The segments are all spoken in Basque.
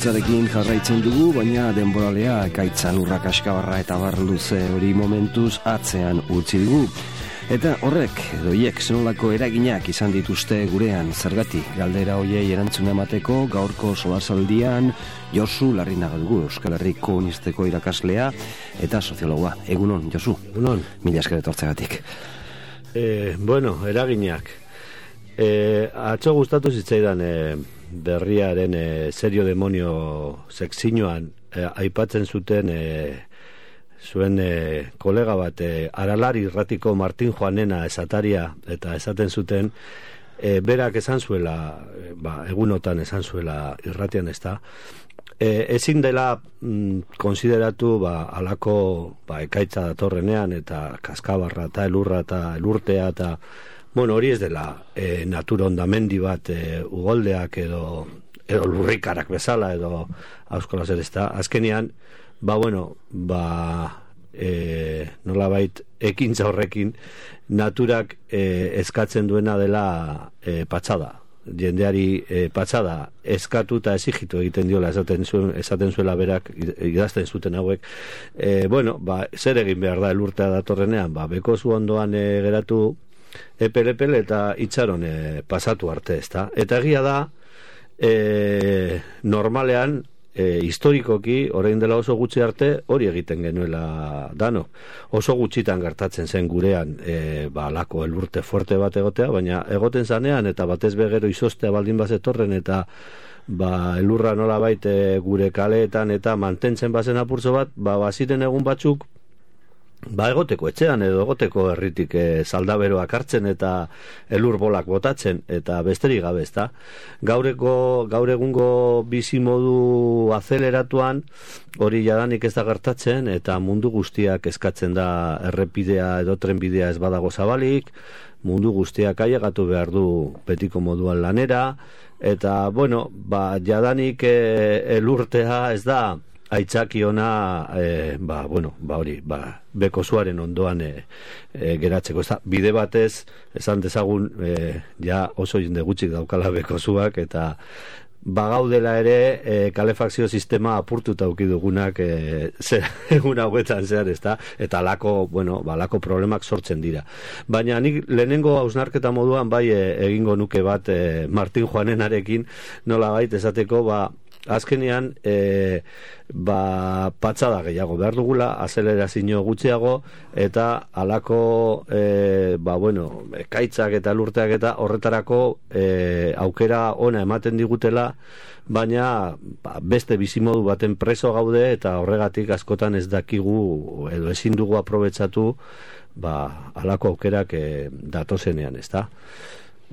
ekaitzarekin jarraitzen dugu, baina denboralea ekaitza lurrak askabarra eta bar luze hori momentuz atzean utzi dugu. Eta horrek, doiek zenolako eraginak izan dituzte gurean, zergatik galdera hoiei erantzuna emateko gaurko solasaldian Josu Larrinaga dugu, Euskal Herriko Unisteko irakaslea eta soziologoa. Egunon, Josu. Egunon. Mila esker etortzegatik. Eraginak. Atzo gustatu zitzaidan berriaren serio demonio sekzioan aipatzen zuten zuen kolega bat Aralari irratiko Martin Joanena esataria, eta esaten zuten berak esan zuela, egunotan esan zuela irratian, ezta, ezin dela konsideratu alako ekaitza datorrenean eta kaskabarra eta elurra eta elurtea eta hori ez dela natura hondamendi bat ugoldeak edo lurrikarak bezala edo auskola zer, ezta. Azkenean nolabait ekintza horrekin naturak eskatzen duena dela patxada. Jendeari patxada eskatu eta exigitu egiten diola, esaten zuela berak, idazten zuten hauek. Zer egin behar da elurtea datorrenean? Bekozu ondoan geratu epel eta itxaron pasatu arte, ezta? Eta egia da, normalean, historikoki, orain dela oso gutxi arte, hori egiten genuela dano. Oso gutxitan gertatzen zen gurean alako elurte fuerte bat egotea, baina egoten zanean, eta batez begero izostea baldin bazetorren, eta elurra nolabait gure kaleetan eta mantentzen bazen apurtzo bat, baziren egun batzuk, egoteko etxean edo egoteko herritik saldaberoak hartzen eta elur bolak botatzen eta besterik gabe, ezta. Gaur egungo bizimodu azeleratuan hori jadanik ez da gertatzen eta mundu guztiak eskatzen da errepidea edo trenbidea ez badago zabalik, mundu guztiak ailegatu behar du betiko moduan lanera eta jadanik elurtea ez da aitzaki ona bekozuaren ondoan geratzeko. Bide batez, esan dezagun, oso jende gutxik daukala bekozuak, eta bagaudela ere kalefakzio sistema apurtuta ukidugunak egun hauetan zehar, ezta? Eta alako problemak sortzen dira. Baina nik lehenengo hausnarketa moduan egingo nuke bat Martin Joanenarekin nolabait esateko azkenean patxada gehiago behar dugula, azelerazio gutxiago eta alako ekaitzak eta lurteak eta horretarako aukera ona ematen digutela, baina beste bizimodu baten preso gaude eta horregatik askotan ez dakigu edo ezin dugu aprobetxatu alako aukerak datozenean, ezta?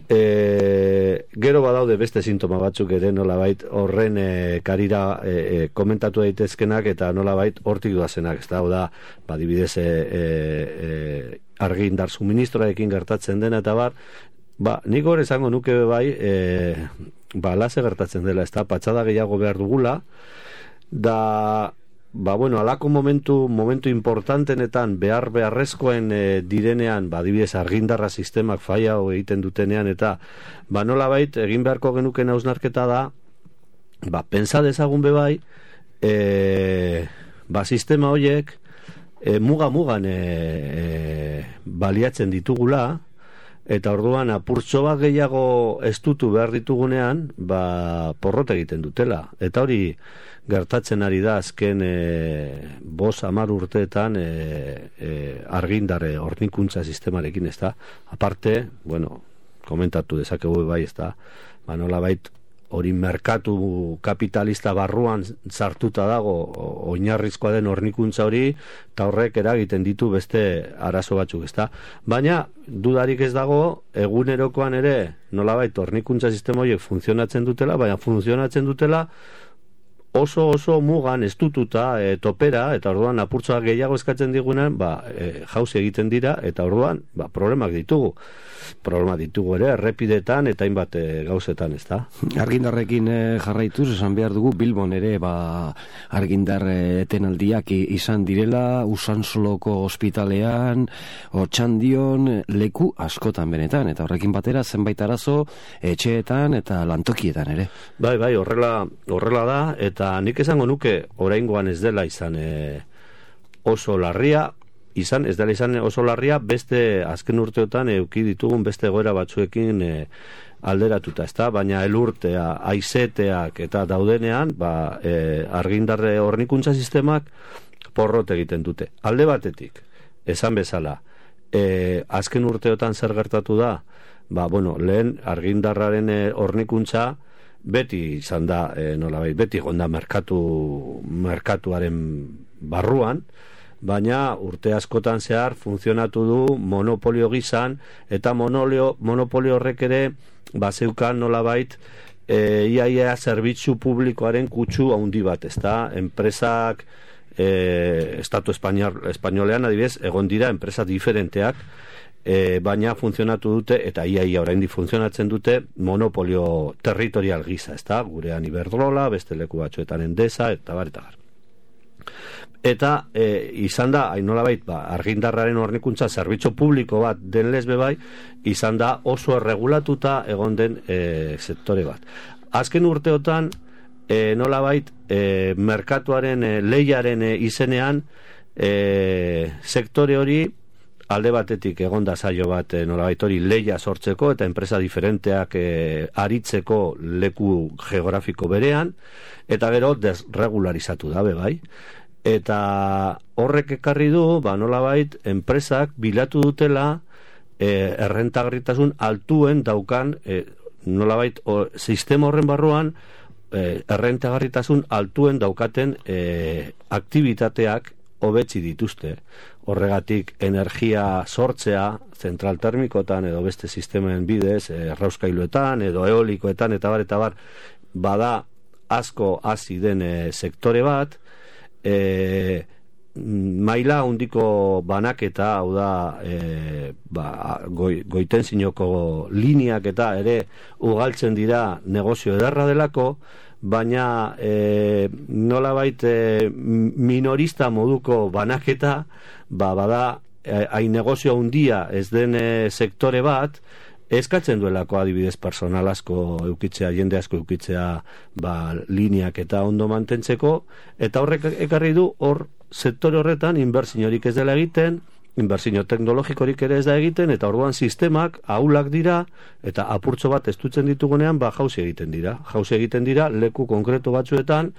Gero badaude beste sintoma batzuk ere nolabait horren karira komentatu daitezkenak eta nolabait hortik doazenak, ez da, adibidez argindar suministroarekin gertatzen dena eta nik hor esango nuke laze gertatzen dela, ez da, patxada gehiago behar dugula da alako momentu importantenetan beharrezkoen direnean, adibidez argindarra sistemak faia egiten dutenean eta nolabait egin beharko genuken hausnarketa da pentsa dezagun bebai sistema horiek mugan baliatzen ditugula eta orduan apurtxo bat gehiago estutu behar ditugunean porrot egiten dutela, eta hori gertatzen ari da azken 5-10 urteetan argindar hornikuntza sistemarekin, ez da, aparte komentatu dezakegu ez da, nolabait hori merkatu kapitalista barruan sartuta dago oinarrizkoa den hornikuntza hori eta horrek eragiten ditu beste arazo batzuk, ezta? Baina dudarik ez dago egunerokoan ere nolabait hornikuntza sistema horiek funtzionatzen dutela, baina funtzionatzen dutela oso mugan estututa topera, eta orduan apurtzoak gehiago eskatzen digunean jauzi egiten dira, eta orduan problemak ditugu ere errepidetan eta hainbat gauzetan, ezta? Argindarrekin jarraituz esan behar dugu Bilbon ere argindar etenaldiak izan direla, Usansoloko ospitalean, Otxandion, leku askotan benetan, eta horrekin batera zenbait arazo etxeetan eta lantokietan ere. Bai, horrela da, eta Eta nik esango nuke oraingoan ez dela izan oso larria, ez dela izan oso larria beste azken urteotan eduki ditugun beste egoera batzuekin alderatuta, ezta? Baina elurtea, haizeteak eta daudenean, argindarre hornikuntza sistemak porrot egiten dute. Alde batetik, esan bezala, azken urteotan zer gertatu da? Lehen argindarraren hornikuntza beti izan da, nolabait, beti gonda merkatuaren barruan, baina urte askotan zehar funtzionatu du monopolio gizan, eta monopolio horrek ere bazeukan nolabait iaia zerbitzu publikoaren kutsu handi bat, ezta? Enpresak estatu espainolean adibidez egon dira enpresa diferenteak, baina funtzionatu dute, eta iaia oraindik funtzionatzen dute monopolio territorial gisa, ezta? Gurean Iberdrola, beste leku batzuetan Endesa, eta bar. Eta izan da, nolabait, argindarraren hornikuntza zerbitzu publiko bat den lesbe bai, izan da oso erregulatuta egon den sektore bat. Azken urteotan, nolabait, merkatuaren lehiaren izenean, sektore hori alde batetik egonda saio bat nolabait hori lehia sortzeko eta enpresa diferenteak aritzeko leku geografiko berean, eta gero desregularizatu dabe bai. Eta horrek ekarri du, nolabait, enpresak bilatu dutela errentagarritasun altuen daukan, nolabait, sistema horren barruan errentagarritasun altuen daukaten aktivitateak hobetsi dituzte. Horregatik energia sortzea zentral termikotan edo beste sistemen bidez, errauskailuetan edo eolikoetan eta bar, bada asko hasi den sektore bat, maila handiko banaketa, hau da goitenzinoko lineak eta ere ugaltzen dira negozio ederra delako, baina nolabait minorista moduko banaketa bada hain negozio handia ez den sektore bat eskatzen duelako adibidez personal asko eukitzea, jende asko eukitzea lineak eta ondo mantentzeko, eta horrek ekarri du hor sektore horretan inbertsiorik ez dela egiten, inbertsio teknologikorik ere ez da egiten, eta orduan sistemak ahulak dira, eta apurtxo bat estutzen ditugunean jauzi egiten dira leku konkretu batzuetan,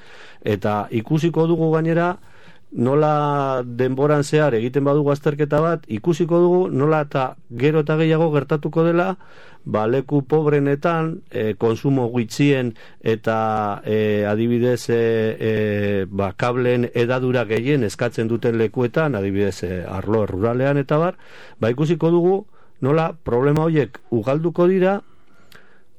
eta ikusiko dugu gainera nola denboran zehar egiten badugu azterketa bat, ikusiko dugu nola eta gero eta gehiago gertatuko dela leku pobrenetan, konsumo gutxien eta adibidez kableen edadura gehien eskatzen duten lekuetan, adibidez arlo ruralean eta bar, ikusiko dugu nola problema horiek ugalduko dira,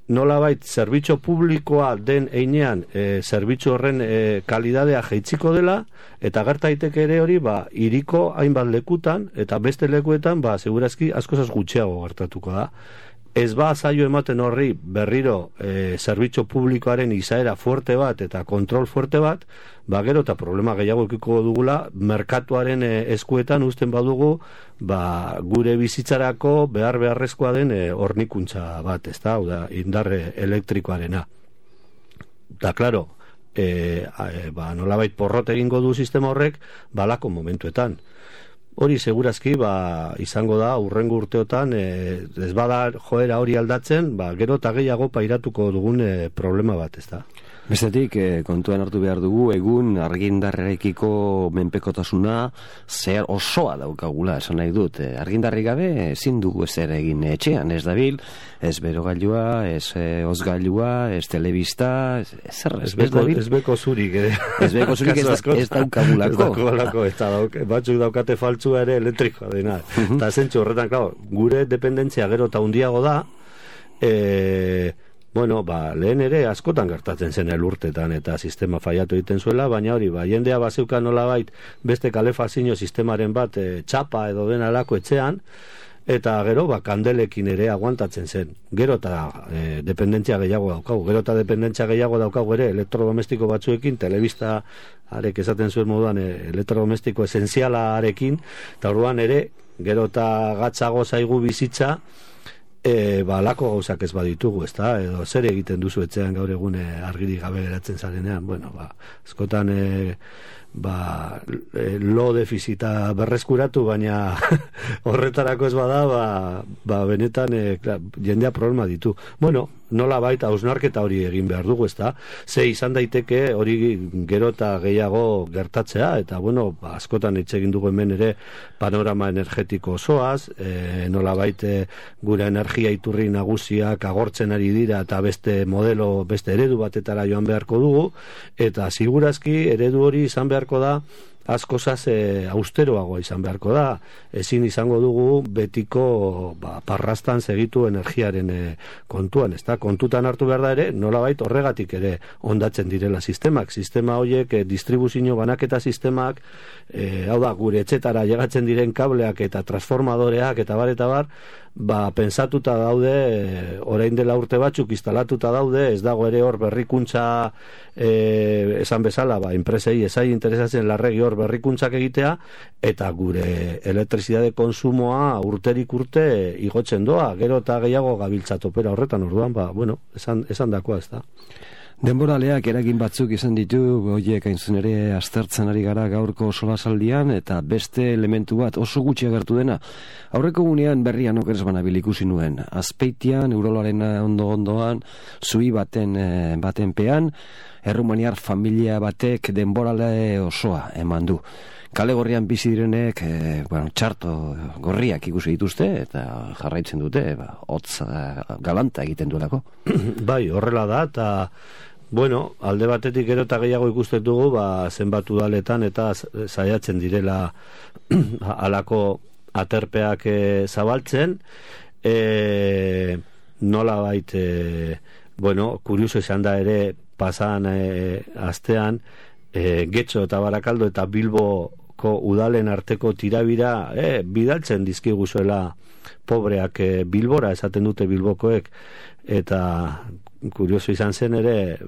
nolabait zerbitzu publikoa den einean zerbitzu horren kalidadea jaitziko dela, eta gerta daiteke ere hori hiriko hainbat lekutan eta beste lekuetan segurazki askoz gutxiago gertatuko da. Ez zaio ematen horri berriro zerbitzu publikoaren izaera fuerte bat eta kontrol fuerte bat, gero eta problema gehiago ekiko dugula merkatuaren eskuetan uzten badugu gure bizitzarako beharrezkoa den hornikuntza bat, ezta, hau da, indarre elektrikoarena. Da, klaro, nolabait porrot egingo du sistema horrek balako momentuetan. Hori segurazki izango da urrengo urteotan ez bada joera hori aldatzen, gero eta gehiago pairatuko dugun problema bat, ezta. Bestetik, kontuan hartu behar dugu, egun argindarrekiko menpekotasuna zer osoa daukagula, esan nahi dut. Argindarrik gabe ezin dugu ezer egin etxean, ez dabil, ez berogailua, ez ozgailua, ez telebista, ez dabil. Ez beko zurik, Ez beko zurik ez daukagulako. Batzuk daukate faltzua ere elektrikoa dena. Eta zentzu horretan, gure dependentzia gero eta handiago da, lehen ere askotan gertatzen zen elurtetan eta sistema faiatu egiten zuela, baina hori, jendea bazeukan nolabait beste kalefazio sistemaren bat txapa edo den alako etxean, eta gero kandelekin ere aguantatzen zen. Gero eta dependentzia gehiago daukagu, ere elektrodomestiko batzuekin, telebista arek esaten zuen moduan elektrodomestiko esenziala arekin, eta orduan ere gero eta gatzago zaigu bizitza, lako gauzak ez baditugu, ezta? Edo zer egiten duzu etxean gaur egun argirik gabe geratzen zarenean, bueno, askotan lo defizita berreskuratu, baina horretarako ez bada, benetan jendea problema ditu. Bueno, nola baita hausnarketa hori egin behar dugu, ezta? Ze izan daiteke hori gero eta gehiago gertatzea, eta bueno, askotan hitz egin dugu hemen ere panorama energetiko osoaz, nola baita gure energia iturri nagusiak agortzen ari dira eta beste modelo, beste eredu batetara joan beharko dugu, eta segurazki eredu hori izan beharko da askozaz austeroagoa izan beharko da. Ezin izango dugu betiko parrastan segitu energiaren kontuan, ezta? Kontutan hartu behar da ere, nolabait horregatik ere ondatzen direla sistemak. Sistema horiek, distribuzio banaketa sistemak, hau da, gure etxetara llegatzen diren kableak eta transformadoreak eta bar, pensatuta daude, orain dela urte batzuk instalatuta daude, ez dago ere hor berrikuntza esan bezala, enpresei ezai interesatzen larregi hor berrikuntzak egitea, eta gure elektrizidade konsumoa urterik urte igotzen doa, gero eta gehiago gabiltza topera horretan, orduan, esan dakoa, ez da. Denboraleak eragin batzuk izan ditu, horiek hainzun ere aztertzen ari gara gaurko solasaldian, eta beste elementu bat oso gutxi agertu dena. Aurreko gunean berrian okeres banabil ikusi nuen. Azpeitian, Euroloaren ondoan, zui baten pean, errumaniar familia batek denborale osoa eman du. Kale gorrian bizi direnek, txarto gorriak ikusi dituzte, eta jarraitzen dute, hotz galanta egiten duelako. Bai, horrela da, eta alde batetik gero eta gehiago ikusten dugu, zenbat udaletan eta saiatzen direla halako aterpeak zabaltzen, nola bait, kurioso izan da ere, pasan astean, Getxo eta Barakaldo eta Bilboko udalen arteko tirabira bidaltzen dizkiguzuela pobreak Bilbora, esaten dute Bilbokoek, eta kurioso izan zen ere,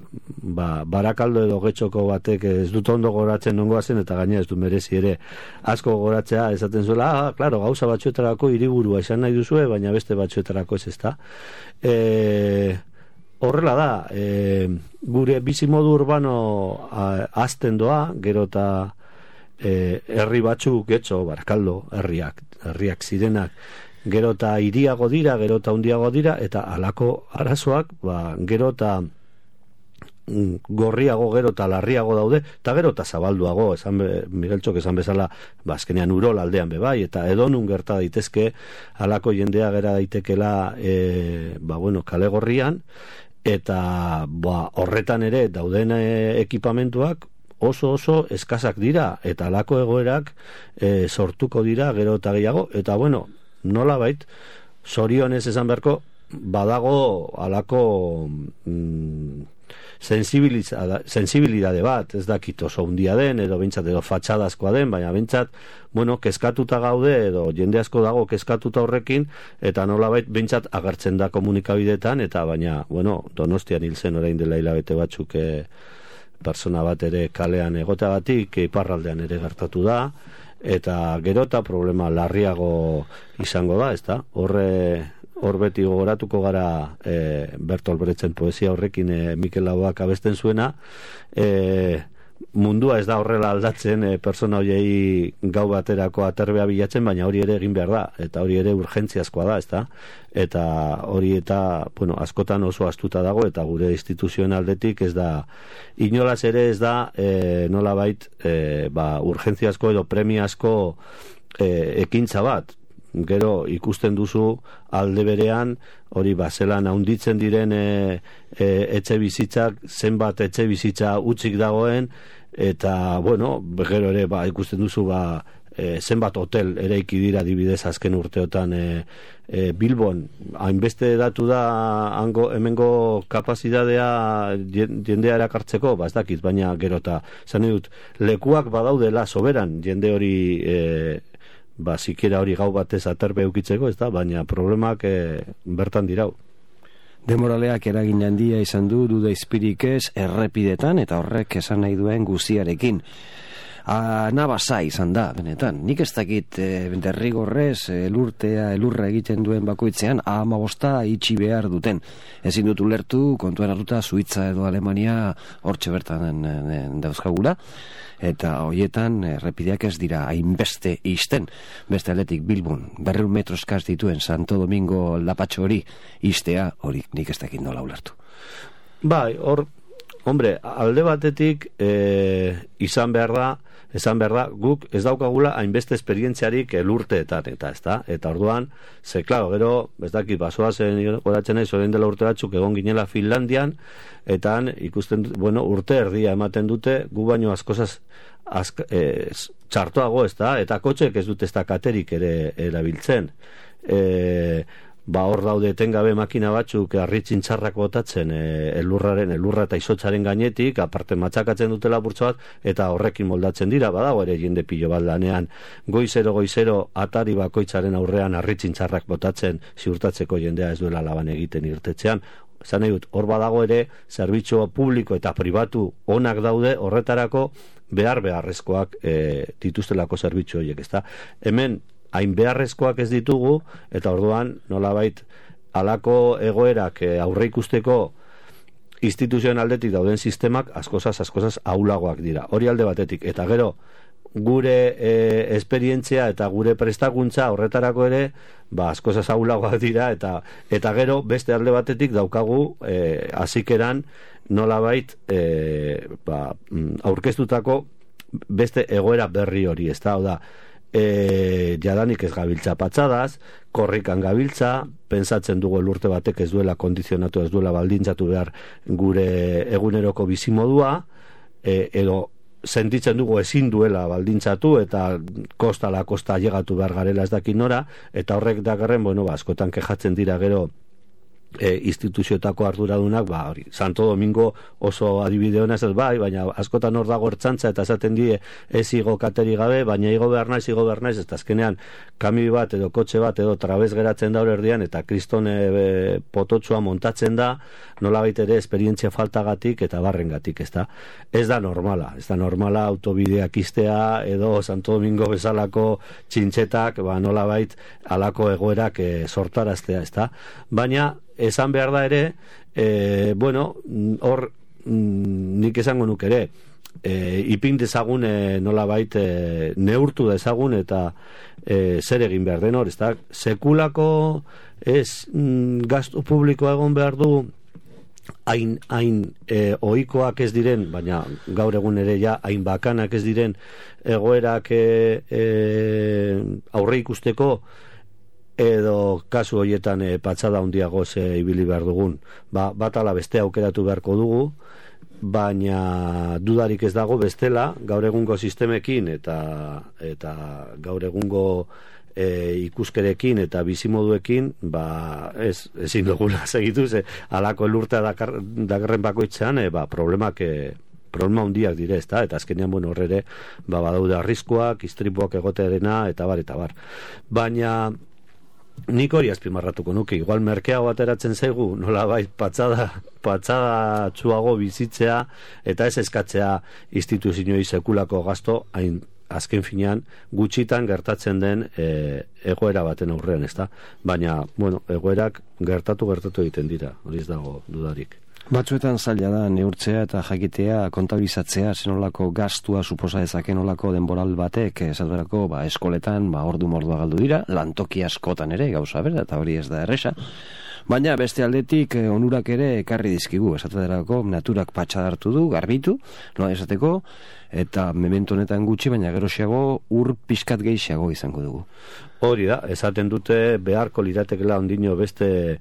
Barakaldo edo Getxoko batek ez dut ondo goratzen nongoa zen, eta gaina ez du merezi ere asko goratzea, esaten zuela, claro, gauza batzuetarako hiriburua izan nahi duzue, baina beste batzuetarako ez ezta. Horrela da, gure bizimodu urbano azten doa, gero eta herri batzuk, Getxo, Barakaldo, herriak zirenak, gero eta hiriago dira, gero eta hundiago dira, eta halako arazoak, gero eta gorriago, gero eta larriago daude, eta gero eta zabalduago, Miguel Txok esan bezala, azkenean Urol aldean bebai, eta edonun gerta daitezke, halako jendea gera daitekela, kale gorrian, eta horretan ere dauden ekipamentuak oso eskasak dira, eta halako egoerak sortuko dira gero eta gehiago, eta nola bait, zorionez esan beharko, badago halako sensibilidade bat, ez dakit oso hundia den, edo bintzat edo fatxadazkoa den, baina bintzat, kezkatuta gaude, edo jende asko dago kezkatuta horrekin, eta nolabait bintzat agertzen da komunikabidetan, eta baina, Donostian hil zen orain dela hilabete batzuk persona bat ere kalean egoteagatik, iparraldean ere gertatu da, eta gero eta problema larriago izango da, ez da? Hor beti gogoratuko gara Bertolt Brechten poesia horrekin Mikel Laboak abesten zuena, mundua ez da horrela aldatzen persona horiei gau baterako aterbea bilatzen, baina hori ere egin behar da, eta hori ere urgentziazkoa da, ezta? Eta hori eta, askotan oso astuta dago, eta gure instituzioen aldetik ez da, inolaz ere ez da, nolabait, urgentziazko edo premiazko ekintza bat. Gero ikusten duzu alde berean hori zelan haunditzen diren etxe bizitzak, zenbat etxe bizitza utzik dagoen, eta gero ere ikusten duzu zenbat hotel eraiki dira adibidez azken urteotan Bilbon, hainbeste datu da hemengo kapazitatea jendea erakartzeko, ez dakit, baina gero eta zan dut, lekuak badaudela soberan jende hori zikera hori gau batez aterpe eukitzeko, ez da, baina problemak bertan dirau. Denboraleak eragin handia izan du, duda izpirik ez, errepidetan, eta horrek esan nahi duen guziarekin. Nabasa izan da, benetan. Nik ez dakit derrigorrez elurra egiten duen bakoitzean 15 itxi behar duten. Ezin dut ulertu, kontuan hartuta Suitza edo Alemania hortxe bertan dauzkagula, eta hoietan errepideak ez dira hainbeste isten. Beste aldetik Bilbon 200 metro eskaz dituen Santo Domingo lapatxo hori istea, hori nik ez dakit nola ulertu. Bai, hombre, alde batetik esan behar da, guk ez daukagula hainbeste esperientziarik elurteetan, eta orduan, klaro, gero, ez dakit, basoazen horatzen nahi, orain dela urte batzuk egon ginela Finlandian, eta ikusten, urte erdia ematen dute, gu baino askozaz txartoago, eta kotxek ez dute ez da katerik ere erabiltzen. Hor daude etengabe makina batzuk harritzin txarrak botatzen elurra eta izotzaren gainetik, aparte matxakatzen dutela burtso bat, eta horrekin moldatzen dira, badago ere jende pilo bat lanean goizero atari bakoitzaren aurrean harritzin txarrak botatzen ziurtatzeko jendea ez duela laban egiten irtetzean. Zan nahi dut, hor badago ere zerbitzu publiko eta pribatu onak daude horretarako beharrezkoak dituztelako zerbitzu horiek, ezta? Hemen hain beharrezkoak ez ditugu, eta orduan nolabait halako egoerak aurre ikusteko instituzioen aldetik dauden sistemak askozaz ahulagoak dira. Hori alde batetik, eta gero gure esperientzia eta gure prestakuntza horretarako ere askozaz ahulagoak dira, eta gero beste alde batetik daukagu hasikeran nolabait aurkeztutako beste egoera berri hori, ez da, hau da, jadanik ez gabiltza patxadaz, korrikan gabiltza, pensatzen dugu elurte batek ez duela kondizionatu, ez duela baldintzatu behar gure eguneroko bizimodua, edo sentitzen dugu ezin duela baldintzatu, eta kostala kosta llegatu behar garela ez dakit nora, eta horrek dakarren, askotan kejatzen dira gero instituzioetako arduradunak, hori, Santo Domingo oso adibide hona ez baina askotan hor dago ertzantza eta esaten die ez igo kateri gabe, baina igo behar naiz, eta azkenean kami bat edo kotxe bat edo trabez geratzen da hor erdian, eta kriston pototsua montatzen da, nolabait ere esperientzia faltagatik eta barrengatik, ez da. Ez da normala autobideak iztea edo Santo Domingo bezalako txintxetak, nolabait alako egoerak sortaraztea, ez da. Baina esan behar da ere, hor nik esango nuk ere, ipin dezagun nolabait neurtu dezagun eta zer egin behar den hor, ez da, sekulako gastu publikoa egon behar du hain ohikoak ez diren, baina gaur egun ere ja hain bakanak ez diren egoerak aurre ikusteko, edo kasu horietan patxada handiagoz ibili behar dugun. Bat ala beste aukeratu beharko dugu, baina dudarik ez dago bestela, gaur egungo sistemekin eta gaur egungo ikuskerekin eta bizimoduekin, ezin dugula segitu, alako elurtea dakarren bakoitzean, problema handiak dire, ezta, eta azkenean horrere badaude arriskuak, istripuak egotearena, eta bar. Baina nik hori azpimarratuko nuke, igual merkeago ateratzen zaigu, nolabait patxada txuago bizitzea, eta ez eskatzea instituzioi sekulako gasto, hain azken finean gutxitan gertatzen den egoera baten aurrean, ezta? Baina, egoerak gertatu egiten dira, hori ez dago dudarik. Batzuetan zaila da neurtzea eta jakitea kontabilizatzea zenolako gastua suposa dezaken olako denboral batek, esaterako eskoletan ordu mordua galdu dira, lantoki askotan ere gauza bera, eta hori ez da erresa. Baina beste aldetik onurak ere ekarri dizkigu, esaterako naturak patxadartu du, garbitu, nola esateko, eta memento honetan gutxi, baina geroxiago ur pixkat gehiago izango dugu. Hori da, esaten dute beharko liratekela ondino beste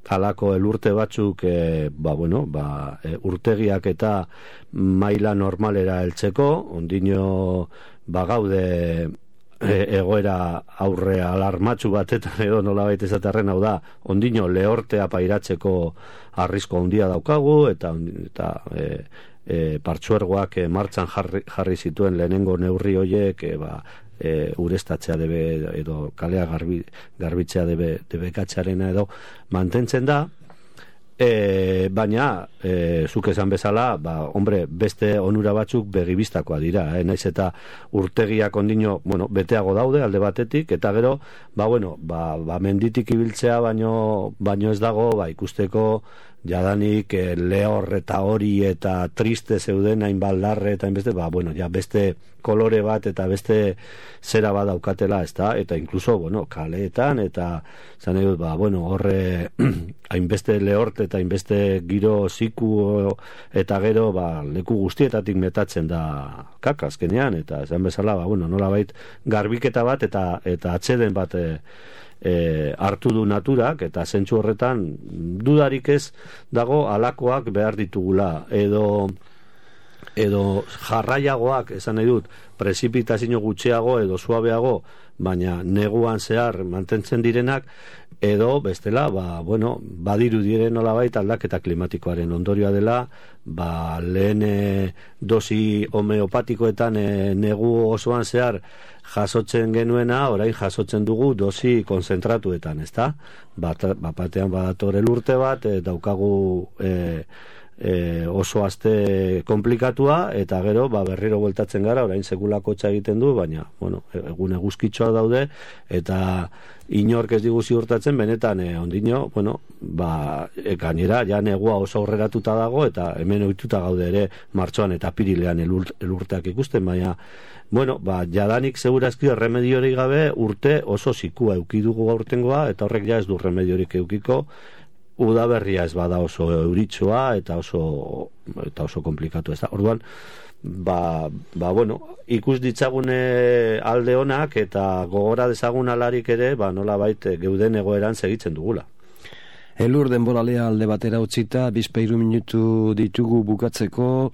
halako elurte batzuk urtegiak eta maila normalera heltzeko, ondino gaude egoera aurre alarmatxu batetan edo nolabait esaterren, hau da, ondino lehortea pairatzeko arrisko handia daukagu, eta partzuergoak martxan jarri zituen lehenengo neurri hoiek urestatzea debe edo kalea garbitzea debekatzearena edo mantentzen da, baina zuk esan bezala, hombre, beste onura batzuk begibistakoa dira, naiz eta urtegiak ondino, beteago daude alde batetik, eta gero, menditik ibiltzea baino ez dago, ikusteko jadanik lehor eta hori eta triste zeuden hain baldarre eta hainbeste, beste kolore bat eta beste zera bat daukatela, ezta? Eta inkluso, kaleetan eta zan edut, horre hainbeste lehort eta hainbeste giro ziku eta gero, leku guztietatik metatzen da kakazkenean, eta esan bezala, nolabait garbiketa bat eta atseden bat hartu du naturak, eta zentsu horretan dudarik ez dago alakoak behar ditugula, edo jarraiagoak, esan nahi dut, prezipitazio gutxiago edo suabeago, baina neguan zehar mantentzen direnak, edo bestela, badiru diren nolabait aldaketa klimatikoaren ondorioa dela, lehen dosi homeopatikoetan negu osoan zehar jasotzen genuena, orain jasotzen dugu dosi konzentratuetan, ezta? Batean badator elurte bat, daukagu oso aste komplikatua, eta gero berriro bueltatzen gara, orain sekulako txa egiten du, baina egun eguzkitxoa daude, eta inork ez digu ziurtatzen, benetan ondino, gainera ja negua oso aurreratuta dago, eta hemen ohituta gaude ere martxoan eta apirilean elurteak ikusten, baina jadanik segurazki remediorik gabe urte oso zikua eukidugu aurtengoa, eta horrek ja ez du remediorik eukiko, udaberria ez bada oso euritxoa eta oso komplikatu ez da. Orduan, ikus ditzagune alde honak eta gogora dezagun alarik ere, nolabait geuden egoeran segitzen dugula. Elur denboralea alde batera utzita, 2 minutu ditugu bukatzeko.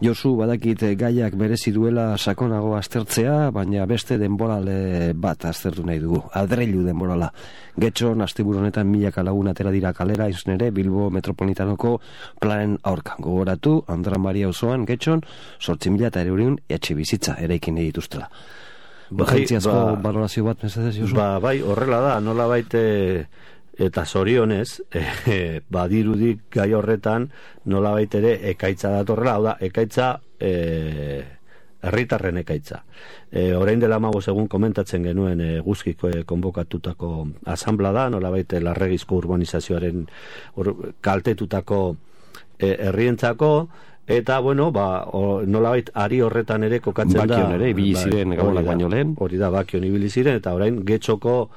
Josu, badakit gaiak berezi duela sakonago aztertzea, baina beste denborale bat aztertu nahi dugu. Adreilu denborala. Getxon, asteburu honetan 1000 lagun atera dira kalera, izun ere, Bilbo Metropolitanoko planen aurka. Gogoratu, Andra Maria auzoan Getxon, 8.000 etxe bizitza eraikin dituztela. Jentziazko balorazio bat, mesedez, Josu? Horrela da, nola baite... Eta zorionez, badirudik gai horretan nolabait ere ekaitza datorrela, hau da, ekaitza herritarren ekaitza. Orain dela 15 egun komentatzen genuen guzkiko konbokatutako asanbla da, nolabait larregizko urbanizazioaren kaltetutako herrientzako, eta nolabait ari horretan ere kokatzen da. Bakion ere, ibili ziren gabonak baino lehen. Hori da, Bakion ibili ziren, eta orain Getxoko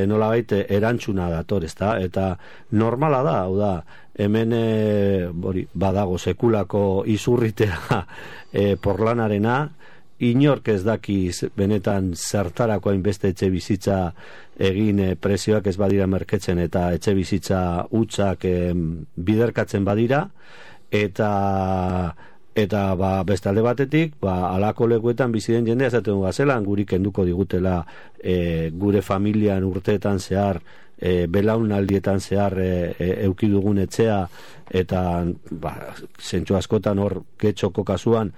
nolabait erantzuna dator, ezta? Eta normala da, hau da, hemen badago sekulako izurritea porlanarena, inork ez dakiz benetan zertarako hainbeste etxe bizitza egin prezioak ez badira merketzen eta etxe bizitza hutsak biderkatzen badira, eta beste alde batetik, alako lekuetan bizi den jendea esaten du zelan guri kenduko digutela gure familian urteetan zehar, belaunaldietan zehar eukidugun etxea, eta zentsu askotan hor Getxoko kasuan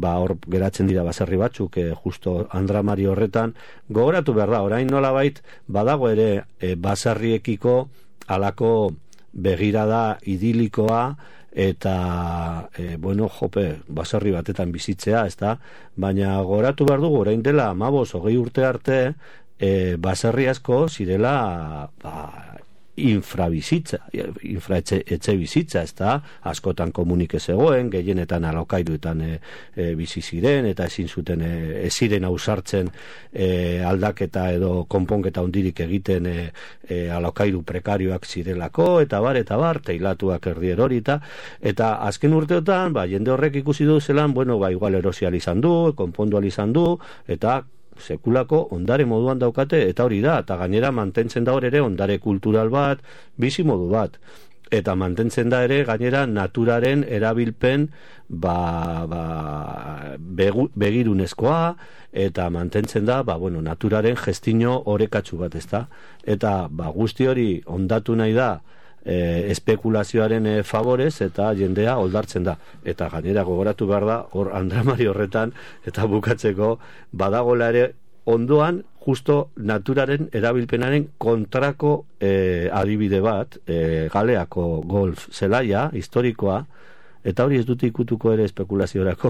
hor geratzen dira baserri batzuk, justo Andra Mari horretan. Gogoratu behar da, orain nolabait badago ere baserriekiko alako begirada idilikoa, eta baserri batetan bizitzea, ezta? Baina gogoratu behar dugu, orain dela 15-20 urte arte, baserri asko zirela etxe bizitza, ezta? Askotan komunik ez egoen, gehienetan alokairuetan bizi ziren, eta ezin zuten ez ziren ausartzen aldaketa edo konponketa hundirik egiten alokairu prekarioak zirelako, eta bar, teilatuak erdier hori, eta azken urteotan, jende horrek ikusi du zelan, igual erosial izan du, konpondual izan du, eta sekulako ondare moduan daukate, eta hori da, eta gainera mantentzen da hor ere ondare kultural bat, bizi modu bat, eta mantentzen da ere gainera naturaren erabilpen begirunezkoa, eta mantentzen da naturaren gestino orekatsu bat, ezta? Eta guzti hori ondatu nahi da espekulazioaren favorez, eta jendea oldartzen da, eta gainera gogoratu behar da hor Andra Mari horretan, eta bukatzeko badagola ere ondoan justo naturaren erabilpenaren kontrako adibide bat, Galeako golf zelaia, historikoa, eta hori ez dute ikutuko ere espekulaziorako,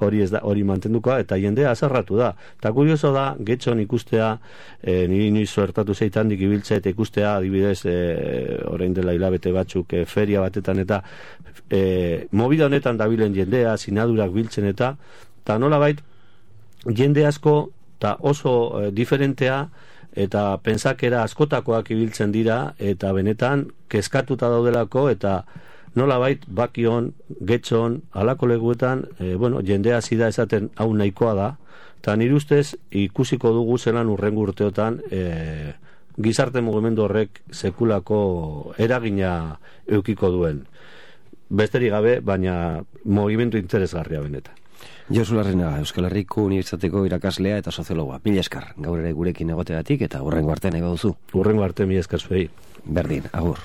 hori mantendukoa, eta jendea azarratu da. Eta kurioso da, getxon ikustea, niri inoiz suertatu zeitandik ibiltzea, eta ikustea, adibidez, orain dela hilabete batzuk, feria batetan, eta movida honetan dabilen jendea, sinadurak biltzen, eta nolabait, jende asko, eta oso diferentea, eta pentsakera askotakoak ibiltzen dira, eta benetan, kezkatuta daudelako, eta nolabait bakion, getxon, halako leguetan, jendea hasi da esaten hau nahikoa da, eta nire ustez ikusiko dugu zelan urrengo urteotan gizarte mugimendu horrek sekulako eragina eukiko duen. Besterik gabe, baina mugimendu interesgarria benetan. Josu Larrenaga, Euskal Herriko Unibertsitateko irakaslea eta soziologoa. Mila esker, gaur ere gurekin egoteagatik eta hurrengo arte nahi baduzu. Hurrengo arte, mila esker zuei. Berdin, agur.